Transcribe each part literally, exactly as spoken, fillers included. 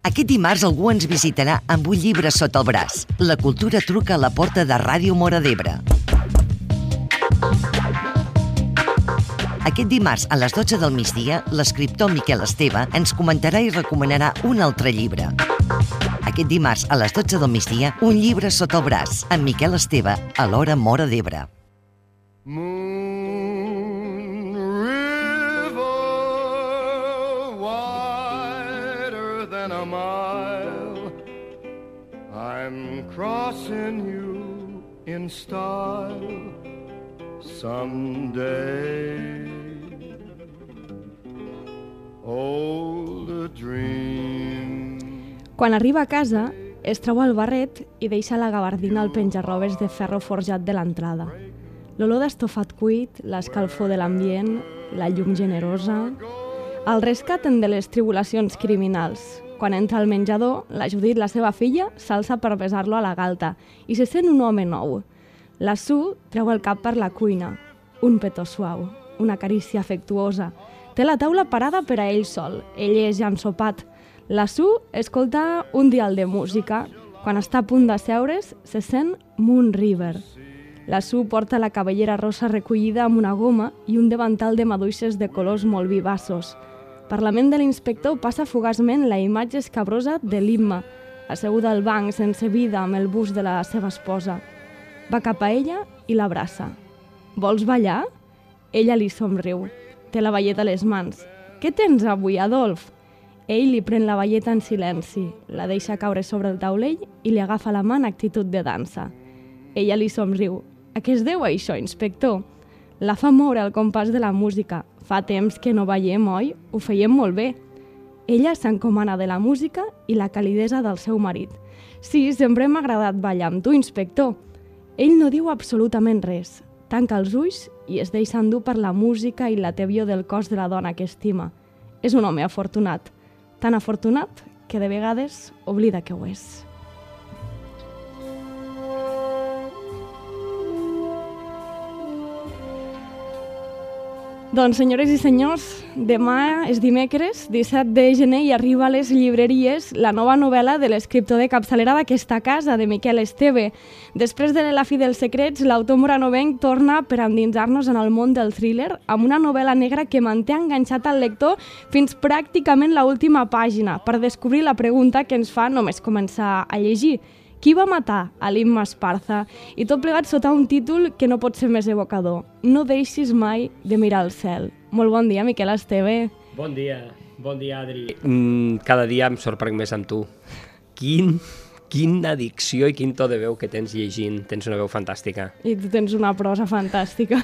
Aquest dimarts algú ens visitarà amb un llibre sota el braç. La cultura truca a la porta de Ràdio Móra d'Ebre. Aquest dimarts, a les dotze del migdia, l'escriptor Miquel Esteve ens comentarà i recomanarà un altre llibre. Aquest dimarts, a les dotze del migdia, un llibre sota el braç, amb Miquel Esteve, a l'Hora Móra d'Ebre. Moon River, wider than a mile, I'm crossing you in style someday. Old a dream. Quan arriba a casa, es treu el barret i deixa la gabardina al penjarrobes de ferro forjat de l'entrada. L'olor d'estofat cuit, l'escalfor de l'ambient, la llum generosa... El rescaten de les tribulacions criminals. Quan entra al menjador, la Judit, la seva filla, s'alça per besar-lo a la galta i se sent un home nou. La Sue treu el cap per la cuina. Un petó suau, una carícia afectuosa. Té la taula parada per a ell sol. Ell és ja ensopat. La Sue escolta un dial de música. Quan està a punt d'asseure's, se sent Moon River. La Sue porta la cabellera rosa recollida amb una goma i un davantal de maduixes de colors molt vivaços. Per la ment de l'inspector passa fugaçment la imatge escabrosa de l'Imma, asseguda al banc sense vida amb el bust de la seva esposa. Va cap a ella i l'abraça. Vols ballar? Ella li somriu. Té la balleta a les mans. Què tens avui, Adolf? Ell li pren la balleta en silenci, la deixa caure sobre el taulell i li agafa la mà en actitud de dansa. Ella li somriu. A què es deu això, inspector? La fa moure al compàs de la música. Fa temps que no ballem, oi? Ho feiem molt bé. Ella s'encomana de la música i la calidesa del seu marit. Sí, sempre m'ha agradat ballar amb tu, inspector. Ell no diu absolutament res. Tanca els ulls i es deixa endur per la música i la tebior del cos de la dona que estima. És un home afortunat. Tan afortunat que de vegades oblida que ho és. Doncs, senyores i senyors, demà és dimecres, disset de gener, i arriba a les llibreries la nova novel·la de l'escriptor de capçalera d'aquesta casa, de Miquel Esteve. Després de La fi dels secrets, l'autor moranovenc torna per endinsar-nos en el món del thriller amb una novel·la negra que manté enganxat al lector fins pràcticament l'última pàgina, per descobrir la pregunta que ens fa només començar a llegir. Qui va matar a l'Imma Esparza? I tot plegat sota un títol que no pot ser més evocador. No deixis mai de mirar al cel. Molt bon dia, Miquel Esteve. Bon dia, bon dia, Adri. Mm, cada dia em sorprenc més amb tu. Quin, quina dicció i quin to de veu que tens llegint. Tens una veu fantàstica. I tu tens una prosa fantàstica.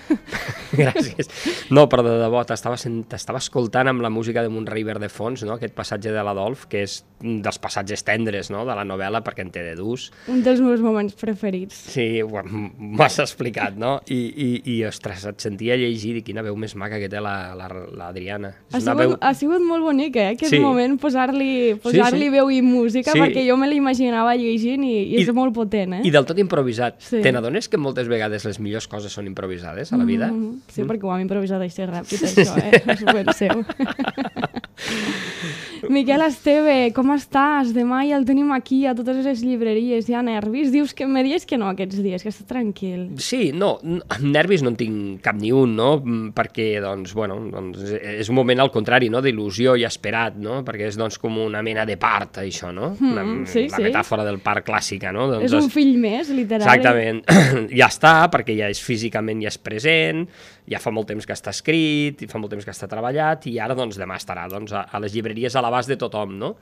Gràcies. No, però de debò, t'estava escoltant amb la música de Moon River de fons, no? Aquest passatge de l'Adolf, que és un dels passatges tendres, no?, de la novel·la, perquè en té de durs. Un dels meus moments preferits. Sí, m'has explicat, no? I, i, i ostres, et sentia llegir i quina veu més maca que té l'Adriana. Ha, sigut, veu... ha sigut molt bonic, eh, aquest sí. moment, posar-li posar sí, sí. veu i música, sí. perquè jo me l'imaginava llegint i, i és I, molt potent, eh? I del tot improvisat. Sí. Te n'adones que moltes vegades les millors coses són improvisades a la vida? Mm-hmm. Sí, mm. perquè ho hem improvisat així ràpid, això, eh? És ben seu. Miquel Esteve, com estàs? Demà ja el tenim aquí a totes les llibreries, hi ha nervis? Dius que me dius que no aquests dies, que estàs tranquil. Sí, no, nervis no en tinc cap ni un, no? Perquè, doncs, bueno, doncs, és un moment al contrari, no?, d'il·lusió i esperat, no? Perquè és, doncs, com una mena de part, això, no? Mm, la, sí, la sí. metàfora del part clàssica, no? Doncs, és un fill més, literal. Exactament. Ja està, perquè ja és físicament, ja és present, ja fa molt temps que està escrit, i fa molt temps que està treballat, i ara, doncs, demà estarà, doncs, a, a les llibreries a l'abast de tothom, no?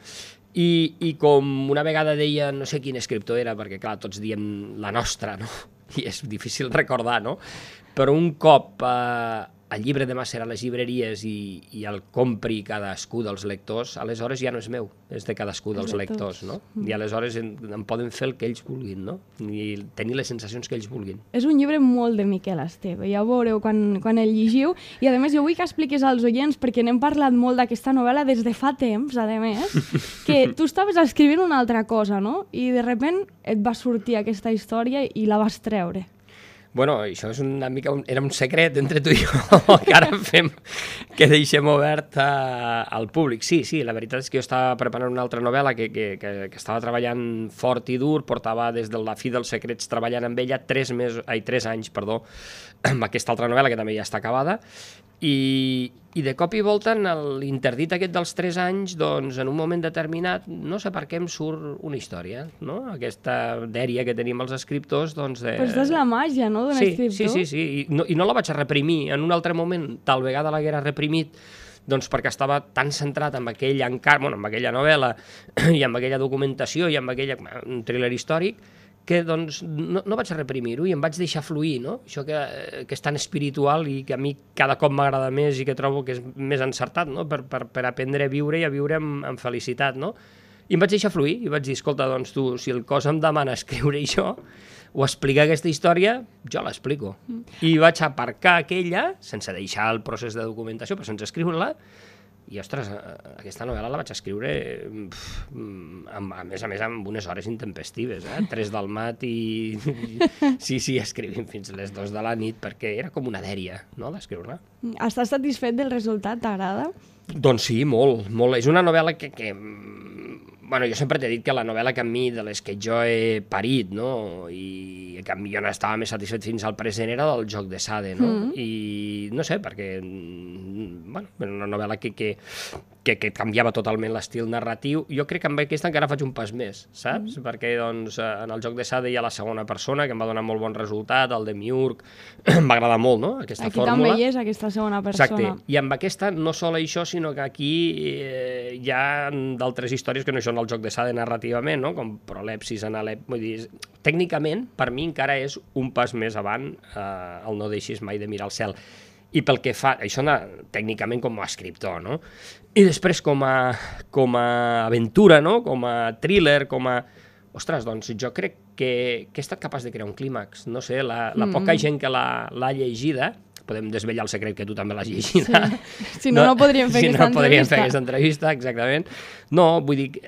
I, I com una vegada deia, no sé quin escriptor era, perquè, clar, tots diem la nostra, no? I és difícil recordar, no? Però un cop eh, el llibre demà serà a les llibreries i, i el compri cadascú dels lectors, aleshores ja no és meu, és de cadascú dels lectors, no? I aleshores en, en poden fer el que ells vulguin, no? I tenir les sensacions que ells vulguin. És un llibre molt de Miquel Esteve, ja ho veureu quan, quan el llegiu, i a més jo vull que expliquis als oients, perquè n'hem parlat molt d'aquesta novel·la des de fa temps, a més, que tu estaves escrivint una altra cosa, no? I de sobte et va sortir aquesta història i la vas treure. Bueno, això és una mica un, era un secret entre tu i jo, que ara fem, que deixem obert a, al públic. Sí, sí, la veritat és que jo estava preparant una altra novel·la que, que, que, que estava treballant fort i dur, portava des de la fi dels secrets treballant amb ella tres, mesos, ai, tres anys, perdó, amb aquesta altra novel·la que també ja està acabada, i, i de cop i volta en l'interdit aquest dels tres anys, doncs en un moment determinat, no sé per què em surt una història, no? Aquesta dèria que tenim els escriptors, doncs de... Però aquesta és la màgia, no?, d'un sí, escriptor. Sí, sí, sí, I no, i no la vaig a reprimir. En un altre moment, tal vegada l'haguera reprimit, doncs perquè estava tan centrat en aquell encar... bueno, en aquella novel·la i en aquella documentació i en aquella... un thriller històric, que doncs no, no vaig reprimir-ho i em vaig deixar fluir, no? Això que, que és tan espiritual i que a mi cada cop m'agrada més i que trobo que és més encertat, no? Per, per, per aprendre a viure i a viure amb, amb felicitat, no? I em vaig deixar fluir i vaig dir, escolta, doncs tu, si el cos em demana escriure això o explicar aquesta història, jo l'explico. Mm. I vaig aparcar aquella, sense deixar el procés de documentació, però sense escriure-la, i, ostres, aquesta novel·la la vaig escriure, pff, amb, a més a més, amb unes hores intempestives, eh? Tres del mat i... Sí, sí, escrivim fins les dos de la nit, perquè era com una dèria, no?, d'escriure-la. Estàs satisfet del resultat? T'agrada? Doncs sí, molt, molt. És una novel·la que... que bueno, jo sempre t'he dit que la novel·la que a mi, de les que jo he parit, no?, i que a mi jo no estava més satisfet fins al present, era del Joc de Sade, no? Mm. I no sé, perquè, bueno, era una novel·la que, que, que, que canviava totalment l'estil narratiu. Jo crec que amb aquesta encara faig un pas més, saps? Mm. Perquè, doncs, en el Joc de Sade hi ha la segona persona, que em va donar molt bon resultat, el de Miurg, em va agradar molt, no?, aquesta aquí fórmula. Aquí també hi és, aquesta segona persona. Exacte. I amb aquesta, no sol això, sinó que aquí eh, hi ha d'altres històries que no són el Joc de Sade narrativament, no?, com prolepsis, analep... Vull dir, tècnicament, per mi encara és un pas més avant eh, el No deixis mai de mirar al cel. I pel que fa... Això na, tècnicament com a escriptor, no? I després com a, com a aventura, no?, com a thriller, com a... Ostres, doncs jo crec que, que he estat capaç de crear un clímax. No sé, la, la mm. poca gent que l'ha llegida... Podem desvetllar el secret que tu també l'has llegit. Sí. Si no, no, no podríem fer si aquesta no, no podríem entrevista. fer aquesta entrevista, exactament. No, vull dir,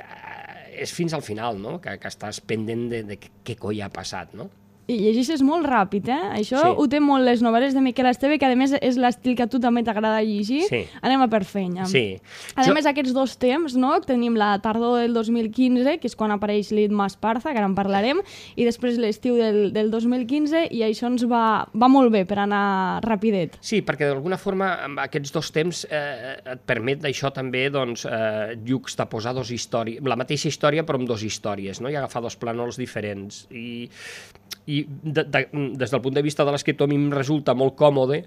és fins al final, no?, que, que estàs pendent de, de què coi ha passat, no? I llegeixes molt ràpid, eh? Això sí. Ho té molt les novel·les de Miquel Esteve, que a més és l'estil que a tu també t'agrada llegir. Sí. Anem a per feina. Sí. A jo... més, aquests dos temps, no? Tenim la tardor del dos mil quinze, que és quan apareix l'Itma Esparza, que ara en parlarem, i després l'estiu del, del dos mil quinze, i això ens va, va molt bé per anar rapidet. Sí, perquè d'alguna forma amb aquests dos temps eh, et permet això també, doncs, eh, juxtaposar dos històries, la mateixa història però amb dos històries, no?, i agafar dos plànols diferents. I... i de, de, des del punt de vista de l'escriptor a mi em resulta molt còmode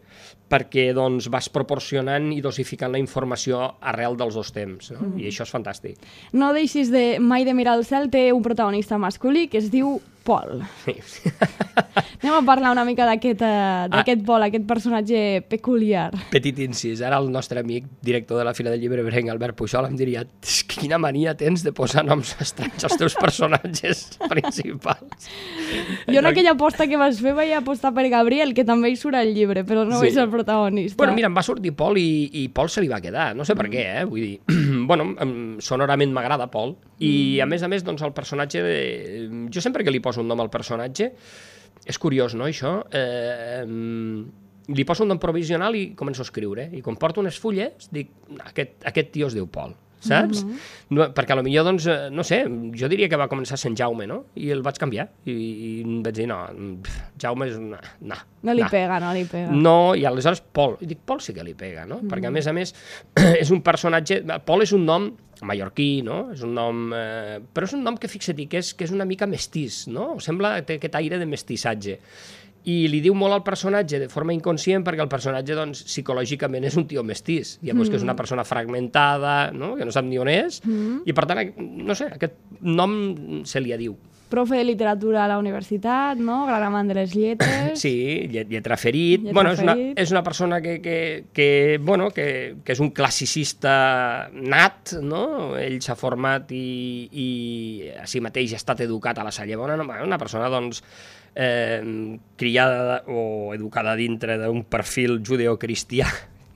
perquè doncs, vas proporcionant i dosificant la informació arrel dels dos temps, no? Mm. I això és fantàstic. No deixis de mai de mirar al cel, té un protagonista masculí que es diu Pol. Sí. Anem a parlar una mica d'aquest uh, ah. Pol, aquest personatge peculiar. Petit incís, ara el nostre amic, director de la Fira del Llibre Brenc, Albert Pujol, em diria quina mania tens de posar noms estranys als teus personatges principals. Jo en aquella aposta que vas fer vaig apostar per Gabriel, que també hi surt al llibre, però no sí. és el protagonista. Bueno, mira, em va sortir Pol i, i Pol se li va quedar, no sé per què, eh? Vull dir, bueno, sonorament m'agrada Pol, i a més a més, doncs, el personatge, de... jo sempre que li poso un nom al personatge, és curiós, no, això? Eh, li poso un nom provisional i començo a escriure. I quan porto unes fulles, dic, aquest, aquest tio es diu Pol, saps? Mm-hmm. No, perquè potser, doncs, no sé, jo diria que va començar sent Jaume, no? I el vaig canviar. I, i vaig dir, no, Jaume és una... No, no li no. pega, no li pega. No, i aleshores Pol. I dic, Pol sí que li pega, no? Mm-hmm. Perquè, a més a més, és un personatge... Pol és un nom mallorquí, no? És un nom... Eh, però és un nom que, fixa-t'hi, que és, que és una mica mestís, no? Sembla que té aquest aire de mestissatge. I li diu molt al personatge de forma inconscient perquè el personatge, doncs, psicològicament és un tio mestís. Llavors, mm. que és una persona fragmentada, no?, que no sap ni on és, mm. i per tant, no sé, aquest nom se li diu. Profe de literatura a la universitat, no? Gran amant de les lletres. Sí, lletra ferit. Lletra bueno, és una, és una persona que, que, que, bueno, que, que és un classicista nat, no? Ell s'ha format i, i a si mateix ha estat educat a la Salle Bona. Una persona, doncs, eh, criada o educada dintre d'un perfil judeocristià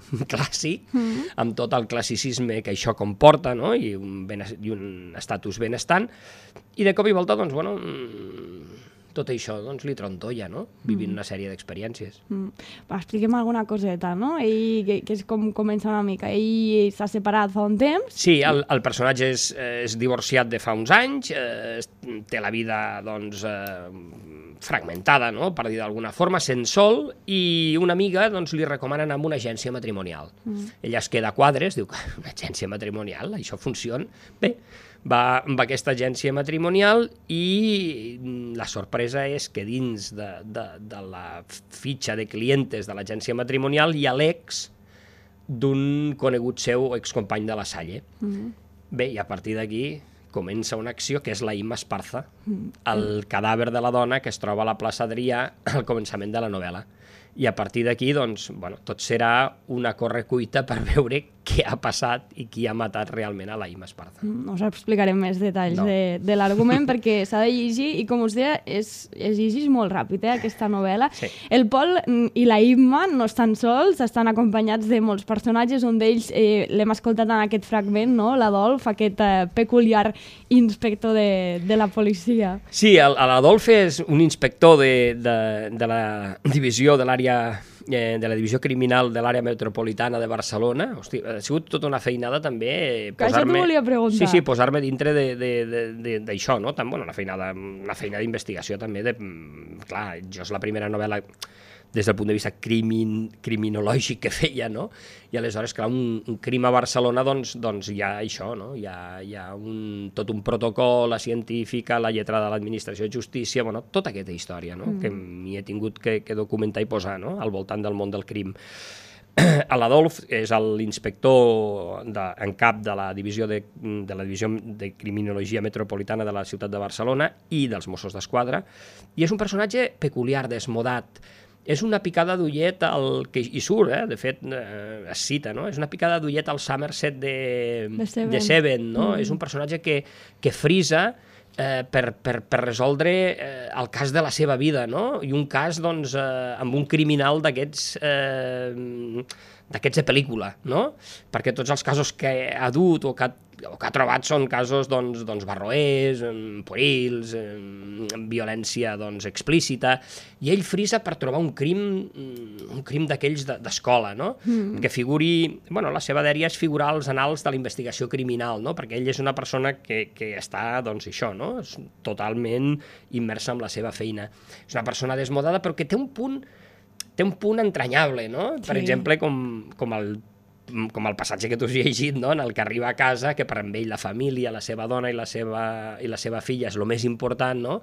clàssic, mm. amb tot el classicisme que això comporta, no? I un, ben, i un estatus benestant, i de cop i volta, doncs, bueno, tot això doncs, li trontolla, no? Vivint mm. una sèrie d'experiències. Mm. Va, expliquem alguna coseta, no? Ell, que, que és com comença una mica. Ell s'ha separat fa un temps. Sí, el, el personatge és, és divorciat de fa uns anys, eh, té la vida, doncs, eh, fragmentada, no?, per dir d'alguna forma, sent sol, i una amiga doncs, li recomana anar a una agència matrimonial. Mm. Ella es queda a quadres, diu, una agència matrimonial, això funciona? Bé, va amb aquesta agència matrimonial i la sorpresa és que dins de, de, de la fitxa de clientes de l'agència matrimonial hi ha l'ex d'un conegut seu excompany de la Salle. Mm. Bé, i a partir d'aquí comença una acció que és la Imma Esparza, el cadàver de la dona que es troba a la plaça Adrià al començament de la novel·la. I a partir d'aquí, doncs, bueno, tot serà una correcuita per veure què ha passat i qui ha matat realment a la Imma Esparza. No us explicarem més detalls no. de, de l'argument perquè s'ha de llegir i, com us deia, és, es llegeix molt ràpid, eh, aquesta novel·la. Sí. El Pol i la Imma no estan sols, estan acompanyats de molts personatges, un d'ells eh, l'hem escoltat en aquest fragment, no? L'Adolf, aquest eh, peculiar inspector de, de la policia. Sí, l'Adolf és un inspector de, de, de la divisió de l'àrea de la divisió criminal de l'àrea metropolitana de Barcelona. Hosti, ha sigut tota una feinada també posar-me... Això t'ho volia preguntar. Sí, sí, posar-me dintre d'això, no? Tant, bueno, una feinada, una feina d'investigació també de... Clar, jo és la primera novel·la des del punt de vista crimin, criminològic que feia, no? I aleshores, clar, un, un crim a Barcelona, doncs, doncs hi ha això, no? Hi ha, hi ha un, tot un protocol, la científica, la lletra de l'administració de justícia, bueno, tota aquesta història, no? Mm. Que m'hi he tingut que, que documentar i posar, no?, al voltant del món del crim. L'Adolf és l'inspector en cap de la divisió de, de la divisió de criminologia metropolitana de la ciutat de Barcelona i dels Mossos d'Esquadra, i és un personatge peculiar, desmodat. És una picada d'ullet al... que hi surt, eh? De fet, eh, es cita, no? És una picada d'ullet al Somerset de, de Seven, de Seven, no? Mm. És un personatge que, que frisa eh, per, per, per resoldre eh, el cas de la seva vida, no? I un cas, doncs, eh, amb un criminal d'aquests... Eh, d'aquests de pel·lícula, no? Perquè tots els casos que ha dut o que ha, o que ha trobat són casos, doncs, doncs barroers, puerils, amb violència, doncs, explícita, i ell frisa per trobar un crim, un crim d'aquells d'escola, no? Mm. Que figuri... Bueno, la seva dèria és figurar als anals de la investigació criminal, no? Perquè ell és una persona que, que està, doncs, això, no? És totalment immersa en la seva feina. És una persona desmodada, però que té un punt té un punt entranyable, no? Per sí. exemple, com, com, el, com el passatge que tu has llegit, no? En el que arriba a casa, que per amb ell la família, la seva dona i la seva, i la seva filla és el més important, no?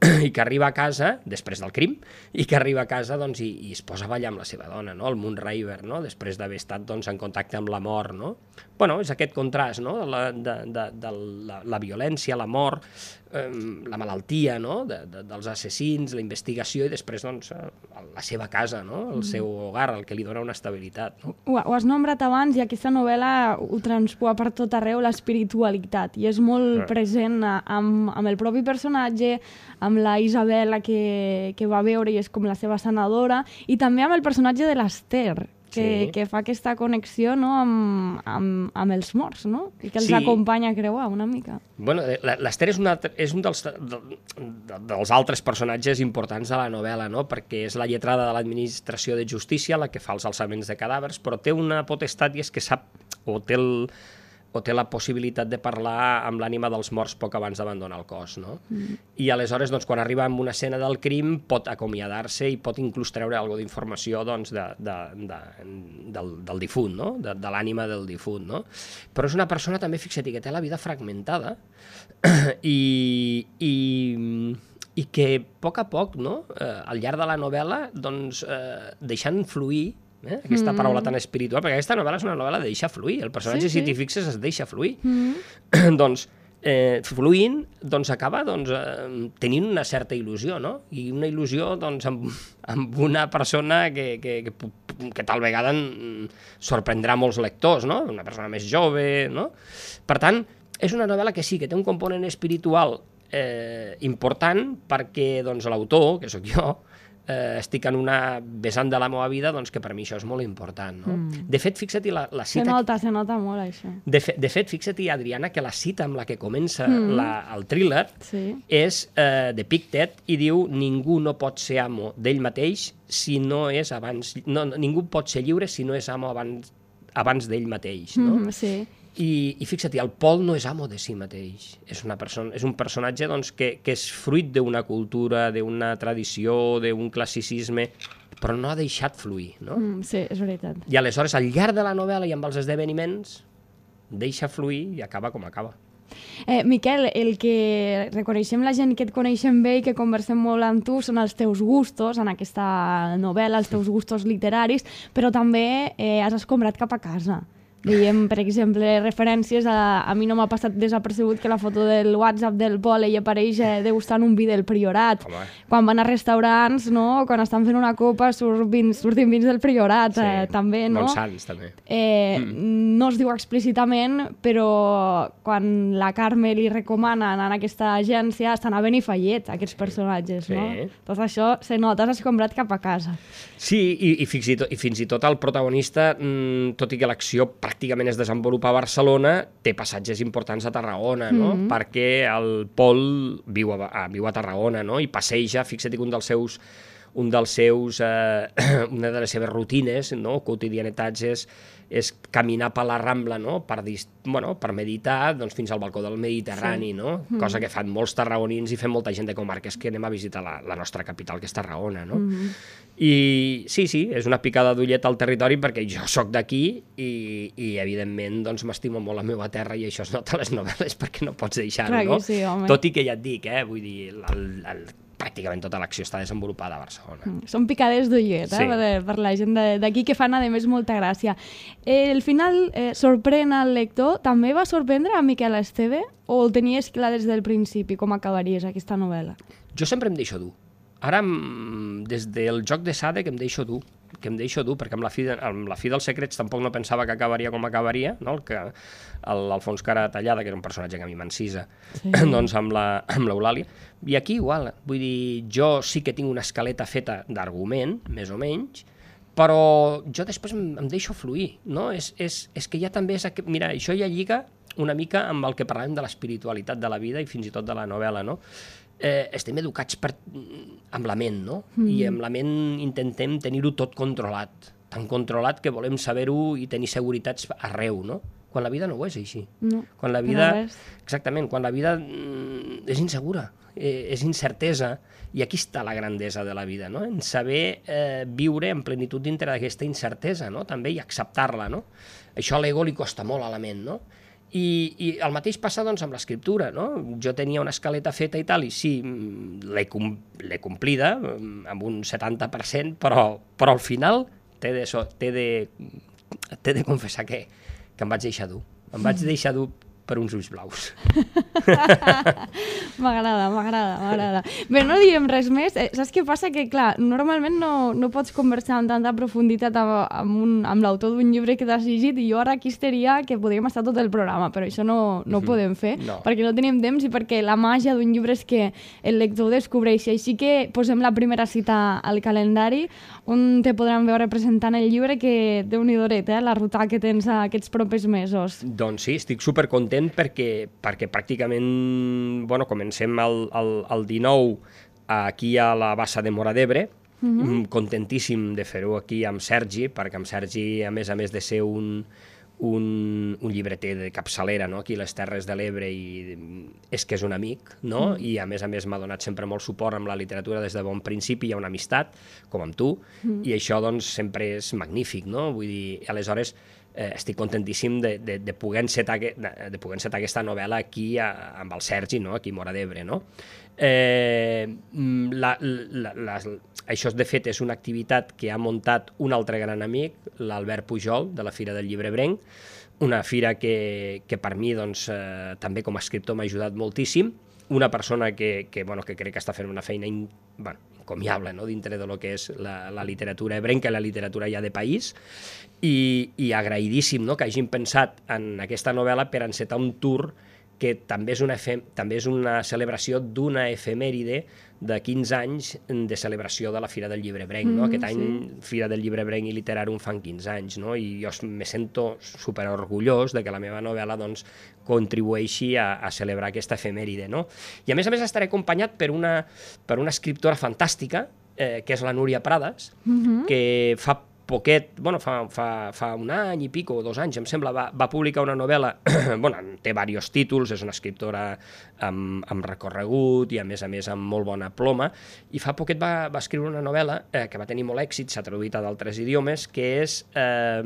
I que arriba a casa, després del crim, i que arriba a casa, doncs, i, i es posa a ballar amb la seva dona, no? El Moonraver, no? Després d'haver estat, doncs, en contacte amb la mort, no? Bueno, és aquest contrast, no? De la, de, de, de la, la violència, la mort, eh, la malaltia, no? De, de, dels assassins, la investigació, i després, doncs, la seva casa, no? El seu hogar, el que li dona una estabilitat, no? Ho, ho has nombrat abans, i aquesta novel·la ho transpua per tot arreu, l'espiritualitat, i és molt ah. present amb, amb el propi personatge, amb la Isabel que, que va veure i és com la seva sanadora, i també amb el personatge de l'Ester, que, sí. que fa aquesta connexió, no?, amb, amb, amb els morts, no? I que els sí. acompanya a creuar una mica. Bueno, l'Ester és, una, és un dels, de, de, dels altres personatges importants de la novel·la, no?, perquè és la lletrada de l'administració de justícia, la que fa els alçaments de cadàvers, però té una potestat i és que sap, o té el... o té la possibilitat de parlar amb l'ànima dels morts poc abans d'abandonar el cos, no? Mm. I aleshores, doncs, quan arriba a una escena del crim, pot acomiadar-se i pot inclús treure alguna d'informació, doncs, de, de, de, del, del difunt, no? De, de l'ànima del difunt, no? Però és una persona, també, fixa't, que té la vida fragmentada i, i, i que, a poc a poc, no?, eh, al llarg de la novel·la, doncs, eh, deixant fluir Eh? aquesta mm. paraula tan espiritual, perquè aquesta novel·la és una novel·la de deixar fluir, el personatge, sí, sí. si t'hi fixes, es deixa fluir. Mm. doncs, eh, fluint, doncs acaba doncs, eh, tenint una certa il·lusió, no? I una il·lusió, doncs, amb, amb una persona que, que, que, que tal vegada sorprendrà molts lectors, no? Una persona més jove, no? Per tant, és una novel·la que sí, que té un component espiritual eh, important, perquè, doncs, l'autor, que sóc jo, eh, estic en una vessant de la meva vida, doncs que per mi això és molt important, no? Mm. De fet, fixa-t'hi la, la cita... Se nota, se nota molt, això. De, fe, de fet, fixa-t'hi, Adriana, que la cita amb la que comença mm. la, el thriller sí. és eh, de Pictet i diu ningú no pot ser amo d'ell mateix si no és abans... No, ningú pot ser lliure si no és amo abans, abans d'ell mateix, no? Mm, sí. I, i fixa't, el Pol no és amo de si mateix, és, una persona, és un personatge doncs, que, que és fruit d'una cultura, d'una tradició, d'un classicisme, però no ha deixat fluir, no? Mm, sí, és veritat. I aleshores, al llarg de la novel·la i amb els esdeveniments, deixa fluir i acaba com acaba. Eh, Miquel, el que reconeixem la gent que et coneixem bé i que conversem molt amb tu són els teus gustos en aquesta novel·la, els teus gustos literaris, però també eh, has escombrat cap a casa. Veiem, per exemple, referències a... A mi no m'ha passat desapercebut que la foto del WhatsApp del Pol ell apareix eh, degustant un vi del Priorat. Home. Quan van a restaurants, no? Quan estan fent una copa surt vins, surtin vins del Priorat, sí, eh, també, no? Montsants, també. Eh, mm. No es diu explícitament, però quan la Carme li recomana anar a aquesta agència estan a Benifallet, aquests personatges, sí. No? Tot això se nota, has escombrat cap a casa. Sí, i, i, fins, i, tot, i fins i tot el protagonista, mmm, tot i que l'acció pràcticament es desenvolupa a Barcelona, té passatges importants a Tarragona, no? Mm-hmm. Perquè el Pol viu a, a, viu a Tarragona, no? I passeja, fixa't que un dels seus, un dels seus eh, una de les seves rutines, no? Quotidianetats és, és caminar per la Rambla, no? Per, bueno, per meditar, doncs, fins al balcó del Mediterrani, sí. No? Mm-hmm. Cosa que fan molts tarragonins i fem molta gent de comarques que anem a visitar la, la nostra capital, que és Tarragona, no? Mm-hmm. I sí, sí, és una picada d'ullet al territori perquè jo sóc d'aquí i, i evidentment doncs, m'estimo molt la meva terra i això es nota a les novel·les perquè no pots deixar-ho, no? Sí, home. Tot i que ja et dic, eh, vull dir, el, el, pràcticament tota l'acció està desenvolupada a Barcelona. Mm, són picades d'ullet, eh, sí. per, per la gent d'aquí que fan, a més, molta gràcia. El final eh, sorprèn al lector. També va sorprendre a Miquel Esteve o el tenies clar des del principi com acabaries aquesta novel·la? Jo sempre em deixo dur. Ara, des del joc de Sade, que em deixo dur, que em deixo dur, perquè amb la fi, de, amb la fi dels secrets tampoc no pensava que acabaria com acabaria, no? El que l'Alfons Cara Tallada, que era un personatge que a mi m'encisa, sí. Doncs amb l'Eulàlia. I aquí igual, vull dir, jo sí que tinc una escaleta feta d'argument, més o menys, però jo després em, em deixo fluir, no? És, és, és que ja també és... Mira, això ja lliga una mica amb el que parlàvem de l'espiritualitat de la vida i fins i tot de la novel·la, no? Eh, estem educats per, amb la ment, no? Mm. I amb la ment intentem tenir-ho tot controlat, tan controlat que volem saber-ho i tenir seguretats arreu, no? Quan la vida no ho és així. No, quan la vida, exactament, quan la vida mm, és insegura, eh, és incertesa, i aquí està la grandesa de la vida, no? En saber eh, viure en plenitud dintre d'aquesta incertesa, no? També, i acceptar-la, no? Això a l'ego li costa molt a la ment, no? I, i el mateix passa doncs, amb l'escriptura, no? Jo tenia una escaleta feta i tal, i sí, l'he com, complida amb un setanta per cent, però, però al final t'he de, t'he de, t'he de confessar que, que em vaig deixar dur. Em vaig deixar dur per uns ulls blaus. M'agrada, m'agrada, m'agrada. Bé, no diem res més. Eh, saps què passa? Que, clar, normalment no, no pots conversar amb tanta profunditat amb, amb, un, amb l'autor d'un llibre que t'has llegit, i jo ara aquí estaria que podríem estar tot el programa, però això no, no ho podem fer, no. Perquè no tenim temps i perquè la màgia d'un llibre és que el lector descobreixi. Així que posem la primera cita al calendari, on te podran veure presentant el llibre, que Déu-n'hi-do, eh, la ruta que tens aquests propers mesos. Doncs sí, estic supercontent perquè, perquè pràcticament, bueno, comencem el, el, el dinou aquí a la Bassa de Móra d'Ebre, uh-huh. Contentíssim de fer-ho aquí amb Sergi, perquè amb Sergi, a més a més de ser un, un, un llibreter de capçalera, no? Aquí a les Terres de l'Ebre, i és que és un amic, no? Uh-huh. I a més a més m'ha donat sempre molt suport amb la literatura des de bon principi, hi ha una amistat, com amb tu, uh-huh. I això doncs sempre és magnífic, no? Vull dir, aleshores Eh, estic contentíssim de, de, de, poder encetar, de, de poder encetar aquesta novel·la aquí a, amb el Sergi, no? Aquí a Móra d'Ebre, no? Eh, la, la, la, això, de fet, és una activitat que ha muntat un altre gran amic, l'Albert Pujol, de la Fira del Llibre Ebrenc, una fira que, que per mi, doncs, eh, també com a escriptor m'ha ajudat moltíssim, una persona que, que, bueno, que crec que està fent una feina in, bueno, encomiable, no? Dintre de lo que és la, la literatura ebrenca i la literatura ja de país, i, i agraïdíssim, no? Que hagin pensat en aquesta novel·la per encetar un tour que també és una, efem... també és una celebració d'una efemèride de quinze anys de celebració de la Fira del Llibrebrenc, no? Mm, Aquest any sí. Fira del Llibrebrenc i Literàrum fan quinze anys, no? I jo me sento superorgullós de que la meva novel·la doncs, contribueixi a, a celebrar aquesta efemèride, no? I a més a més estaré acompanyat per una, per una escriptora fantàstica, eh, que és la Núria Prades, mm-hmm. que fa poquet, bueno, fa, fa, fa un any i pico, o dos anys, em sembla, va, va publicar una novel·la, bueno, té diversos títols, és una escriptora amb, amb recorregut i, a més a més, amb molt bona ploma, i fa poquet va, va escriure una novel·la eh, que va tenir molt èxit, s'ha traduït a d'altres idiomes, que és eh,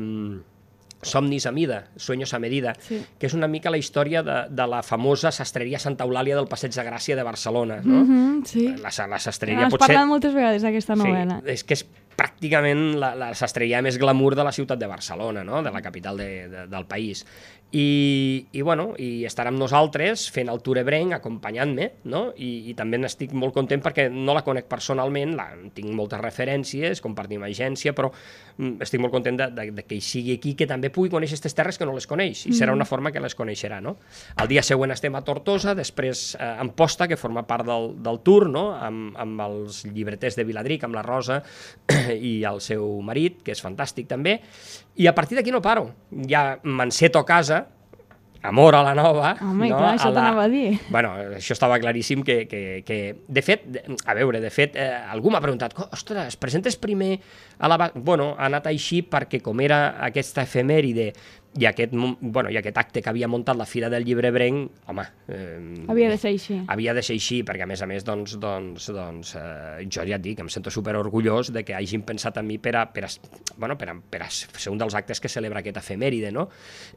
Somnis a mida, Sueños a medida, sí. que és una mica la història de, de la famosa sastreria Santa Eulàlia del Passeig de Gràcia de Barcelona, no? Mm-hmm, sí. La, la sastreria Has potser... parlat moltes vegades d'aquesta novel·la. Sí, és que és pràcticament la, la sastreria més glamour de la ciutat de Barcelona, no? De la capital de, de, del país. I, i, bueno, i estarà amb nosaltres fent el tour ebrenc, acompanyant-me, no? I, i també n'estic molt content perquè no la conec personalment, la, tinc moltes referències, compartim agència, però mm, estic molt content de, de, de que hi sigui aquí, que també pugui conèixer aquestes terres que no les coneix, i serà una forma que les coneixerà, no? El dia següent estem a Tortosa, després eh, a Amposta, que forma part del, del tour, no? Amb, amb els llibreters de Viladric, amb la Rosa i el seu marit, que és fantàstic també, i a partir d'aquí no paro. Ja m'enceto a casa, amor a la nova. Home, no? clar, això la... t'anava a dir. Bueno, això estava claríssim que, que, que... De fet, a veure, de fet, eh, algú m'ha preguntat, ostres, presentes primer a la... Bueno, ha anat així perquè com era aquesta efemèride i aquest, bueno, i aquest acte que havia muntat la Fira del Llibrebrenc, home... Eh, havia de ser així. Havia de ser així, perquè a més a més, doncs, doncs, doncs eh, jo ja et dic, em sento superorgullós de que hagin pensat en mi per a, per a, bueno, per a, per a ser un dels actes que celebra aquesta efemèride, no?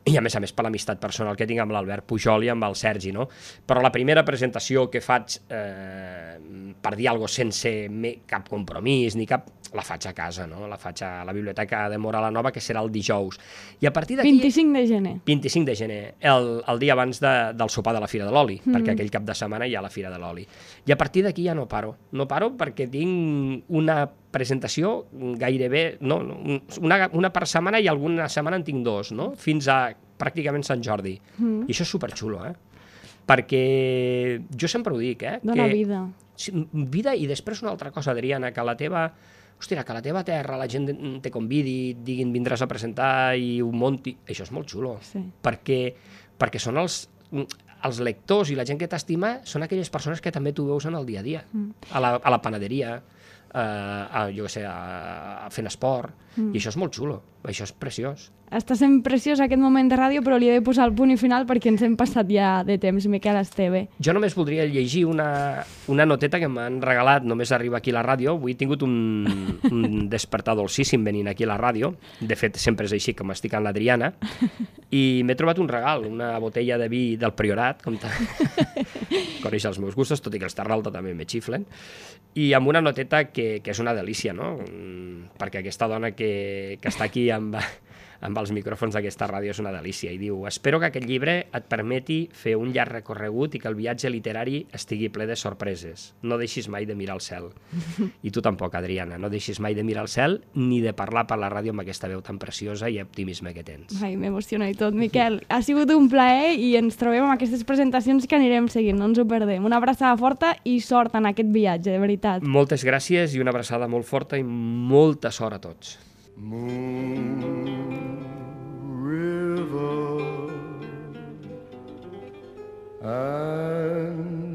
I a més a més per l'amistat personal que tinc amb l'Albert Pujol i amb el Sergi, no? Però la primera presentació que faig eh, per dir alguna cosa sense me, cap compromís ni cap... la faig a casa, no? La faig a la Biblioteca de Móra la Nova, que serà el dijous. I a partir d'aquí... vint-i-cinc de gener. vint-i-cinc de gener, el, el dia abans de, del sopar de la Fira de l'Oli, mm. perquè aquell cap de setmana hi ha la Fira de l'Oli. I a partir d'aquí ja no paro. No paro perquè tinc una presentació gairebé... No, una, una per setmana i alguna setmana en tinc dos, no? Fins a pràcticament Sant Jordi. Mm. I això és superxulo, eh? Perquè jo sempre ho dic, eh? Dóna que, vida. Vida i després una altra cosa, Adriana, que la teva... Hòstia, que a la teva terra la gent te convidi, diguin vindràs a presentar i ho monti... Això és molt xulo, sí. perquè, perquè són els, els lectors i la gent que t'estima són aquelles persones que també tu veus en el dia a dia, mm. a, la, a la panaderia, a, a, jo què sé, a, a fent esport, mm. i això és molt xulo, això és preciós. Està sent preciós aquest moment de ràdio, però li he de posar el punt i final perquè ens hem passat ja de temps, Miquel Esteve. Jo només voldria llegir una, una noteta que m'han regalat, només arriba aquí a la ràdio. Avui he tingut un, un despertar dolcíssim venint aquí a la ràdio. De fet, sempre és així, com estic amb l'Adriana. I m'he trobat un regal, una botella de vi del Priorat, com ta... coneix els meus gustos, tot i que els Tarralta també me xiflen. I amb una noteta que, que és una delícia, no? Perquè aquesta dona que, que està aquí amb... amb els micròfons d'aquesta ràdio és una delícia, i diu: espero que aquest llibre et permeti fer un llarg recorregut i que el viatge literari estigui ple de sorpreses. No deixis mai de mirar al cel. I tu tampoc, Adriana, no deixis mai de mirar al cel ni de parlar per la ràdio amb aquesta veu tan preciosa i optimisme que tens. Ai, m'emociona i tot, Miquel. Ha sigut un plaer i ens trobem amb aquestes presentacions que anirem seguint, no ens ho perdem. Una abraçada forta i sort en aquest viatge, de veritat. Moltes gràcies i una abraçada molt forta i molta sort a tots. Moon River and